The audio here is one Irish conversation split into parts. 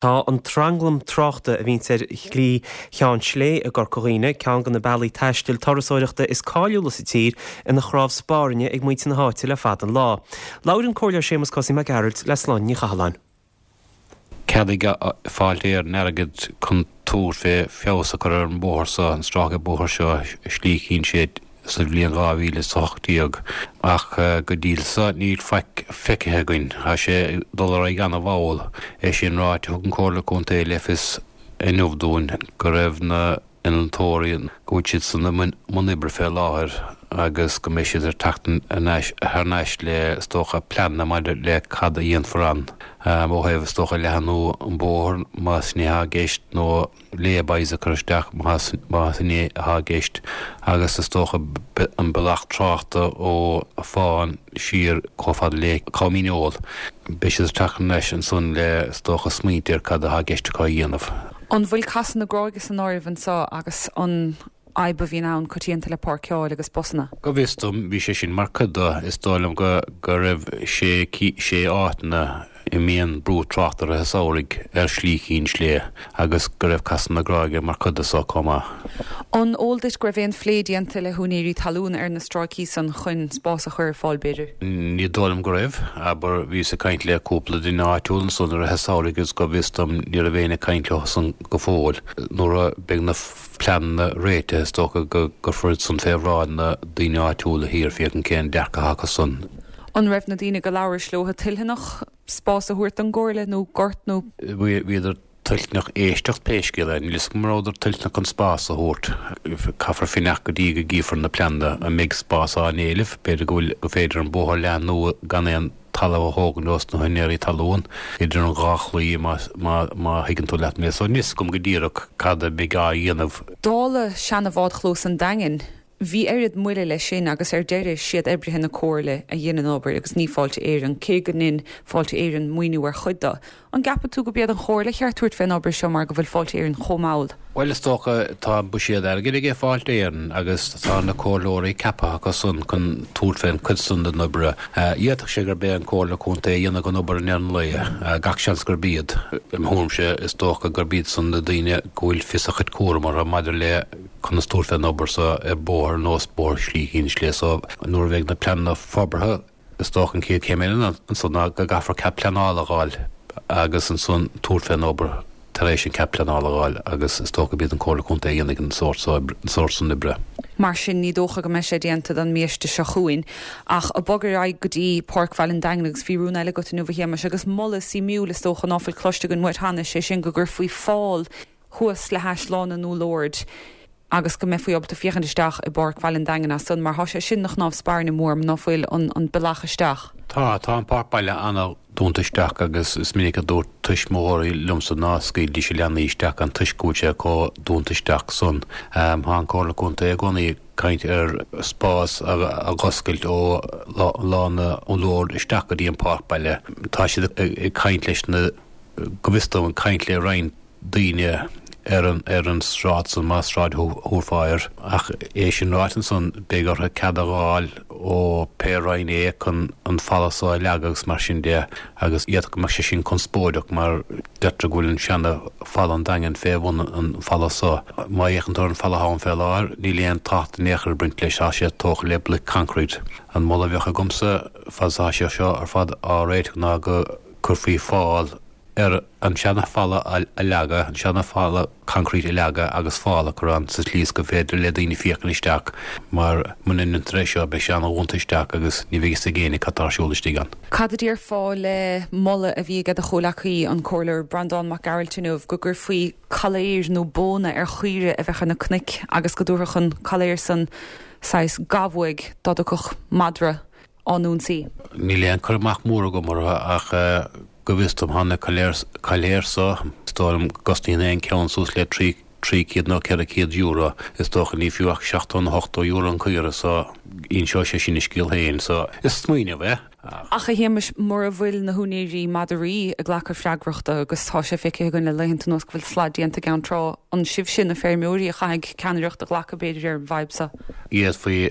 Tá an tranglam tráchta a bhíonns ar Shlí Cheann Slé i gCorca Dhuibhne, ceann de na bealaí taistil turasóireachta is cáiliúla sa tír, ina chnámh spairne ag muintir na háite le fada an lá. Labhair an Comhairleoir Séamus Cosaí Mac Gearailt le Sláine Ní Chathalláin. Cheadaigh Fáilte Éireann airgead chun tabhairt fé feabhas a chur ar an bóthar seo, an stráice bóthair seo, Slí Chinn Slé sa bhliain 2018 ach go dtí so níl faic feicthe againn. Tá sé ag dul ar aghaidh ana-mhall. É sin ráite, thug an Comhairle Contae le fios inniu dúinn go raibh na innealtóirí, go bhfuil siad san i mbun oibre fé láthair agus go mbeidh siad ag teacht thar n-ais le, is dócha, pleananna maidir le cad a dhéanfar ann ó thaobh, is dócha, leathanú an bhóthair más sin é atá i gceist nó lay-bys a chur isteach más sin é atá i gceist agus is dócha an bealach tráchta ó Fán siar chomh fada le Com Dhíneol. Beidh siad ag teacht thar n-ais ansan le, is dócha, smaointe ar cad atá i gceist acu a dhéanamh. An bhfuil Casadh na Gráige san áireamh anseo agus an fhadhb a bhíonn ann coitianta le páirceáil agus busanna? Go bhfios dom, bhí sé sin mar chuid de. Is dóigh liom go go raibh sé sé áiteanna a mbíonn brú tráchta i rith an samhraidh ar Shlí Chinn Slé agus go raibh Casadh na Gráige mar chuid de so chomh maith. An eol duit go raibh aon phlé déanta le húinéirí talún ar na stráicí san chun spás a chur ar fáil b'fhéidir? Ní dóigh liom go raibh. Abair, bhíos ag caint le cúpla duine áitiúil ansan i rith an samhraidh agus go bhfios dom ní raibh éinne ag caint leo san go fóill. Nuair a bheidh na pleananna réitithe is dócha go gcuirfear iad san fé bhráid na daoine áitiúla thiar féachaint cén dearcadh atá acu san. An raibh na daoine go labhrais leo toiltheanach spás a thabhairt don gComhairle nó gort nó. Bhíodar toilteanach éisteacht pé scéal é. Níl 'fhios agam an rabhadar toilteanach an spás a thabhairt. Caithfear fanacht go dtí go gcífear na pleananna. An mbeidh spás á n-éileamh? B'fhéidir go bhfuil, go féidir an bóthar a leathnú gan aon talamh a thógaint ós na húinéirí talún idir an dhá chlaí má, má, má thuigeann tú leat mé. So níl 'fhios agam go díreach cad a bheidh á dhéanamh. Dála seana-bhádchlós an Daingin, Bhí oiread moille leis sin agus ar deireadh siad oibrithe na Comhairle a dhein an obair agus ní Fáilte Éireann, cé go ndein Fáilte Éireann maoiniú ar chuid de. An gceapann tú go b'iad an Chomhairle cheart tabhairt fén obair seo mar go bhfuil Fáilte Éireann chomh mall? Bhuel is dócha, tá buiséad airgid aige Fáilte Éireann agus tá na comhairleoirí ceaptha acu san chun tabhairt fén chuid san den obair. D'fhéadfadh sé gurb é an Comhairle Contae a dhéanfadh an obair i ndeireadh an lae, gach seans gurb iad. I mo thuairimse is dócha gurb iad san na daoine go bhfuil fios a chuid cúram orthu maidir le conas tabhairt fén obair so ar bóthar ar nós bóthar Shlí Chinn Slé so nuair a bheidh na pleananna forbartha is dócha an chéad chéim eile ansan ná go gcaithfear cead pleanála a dh'fháil agus ansan tabhairt fén obair tar éis an cead pleanála a dh'fháil agus is dócha gurb iad an Comhairle Contae a dhéanfaidh an sórt so an sórt san oibre. Mar sin ní dócha go mbeidh sé déanta don mbiaiste seo chugainn. Ach ag bogadh ar aghaidh go dtí Páirc Bhaile an Daingin agus bhí rún eile agat inniu a Shéamais agus moladh suimiúil is dócha ná fuil cloiste againn uait cheana, sé sin go gcuirfí fál thuas le hais Lána an Úll Oird agus go mbeifí ábalta féachaint isteach i bPáirc Bhaile an Daingin as san, mar thá sé sin ina chnámh spairne mór, ná fuil an an bealach isteach. Tá, tá an páirc baile ana-dhúnta isteach agus is minic a dúirt tuismitheoirí liomsa ná scaoildís a leanaí isteach ann toisc go bhfuil sé chomh dúnta isteach san. Tá an Comhairle Contae i gcónaí ag caint ar spás a dh'oscailt ó Lána an Úll Oird isteach go dtí an páirc baile. Tá siad ag caint leis na, go bhfios dom, ag caint le roinnt daoine ar an ar an sráid san, más sráid a thabharfá air. Ach é sin ráite ansan, beidh orthu cead a dh'fháil ó pé roinn é chun an falla so a leagadh agus mar sin de agus d'fhéadfadh go mbeadh sé sin conspóideach mar deirtear go bhfuil an seana falla an Daingin fé bhun an falla so. Má fhéachann tú ar an falla atá ann fé láthair, níl aon tábhacht in aon chor ag baint leis, tá sé tógtha le bloic concrete. An moladh a bheadh agamsa fad is atá sé seo ar fad á réiteach ná go gcuirfí fál ar an seana-fhalla a leagadh, an seana-fhalla concrete a leagadh agus fál a chur ann sa tslí is gur féidir le daoine féachaint isteach mar muna ndéantar é seo beidh sé ana-dhúnta isteach agus ní bheidh fhios ag éinne cad tá ar siúl istigh ann. Cad a déarfá le moladh a bhí aige do chomhleacaí, an Comhairleoir Breandán Mac Gearailt inniu, go gcuirfí coiléar nó bóna ar chaoire a bheadh ar na cnoic agus go dtabharfadh an coiléar san saghas gabh-uaidh dá dtiocfadh madra á n-ionsaí? Níl aon cur amach mór agam orthu ach go bhfios dom tá na coiléir so, is dóigh liom go gcosnaíonn aon ceann suas le €300 nó €400. Is dócha ní fiú ach €70 nó €80 an caora so inseoidh sé sin a scéal féin. So is smaoineamh é. Ach, a Shéamais, mura bhfuil na húinéirí madraí ag glacadh freagrachta, agus tá sé feicthe againn le laethanta anuas go bhfuil slad déanta i gCeann Trá, an sibhse, na feirmeoirí, a chaithfidh ceannaireacht a ghlacadh, b'fhéidir, ar an bhfadhb seo? D'fhéadfaí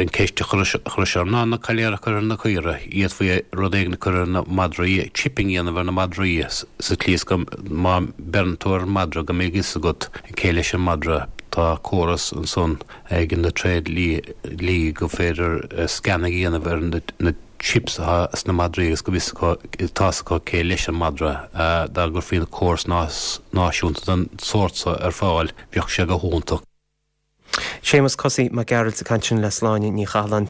an ceist a chur orm ná na coiléir a chur ar na caora, d'fhéadfaí rud éigin a chur ar na madraí, chipping a dhéanamh ar na madraí sa tslí is go má bheireann tú ar an madra go mbeidh fhios agat cé leis an madra. Tá córas ansan ag na tréidliaí gur féidir scanning a dhéanamh ar na chips atá sna madraí agus go bhfios acu, tá fhios acu cé leis an madra. Dá gcuirfí córas náisiúnta den sórt so ar fáil, bheadh sé go hiontach. Séamus Cosaí Mac Gearailt ag caint ansin le Sláine Ní Chathalláin.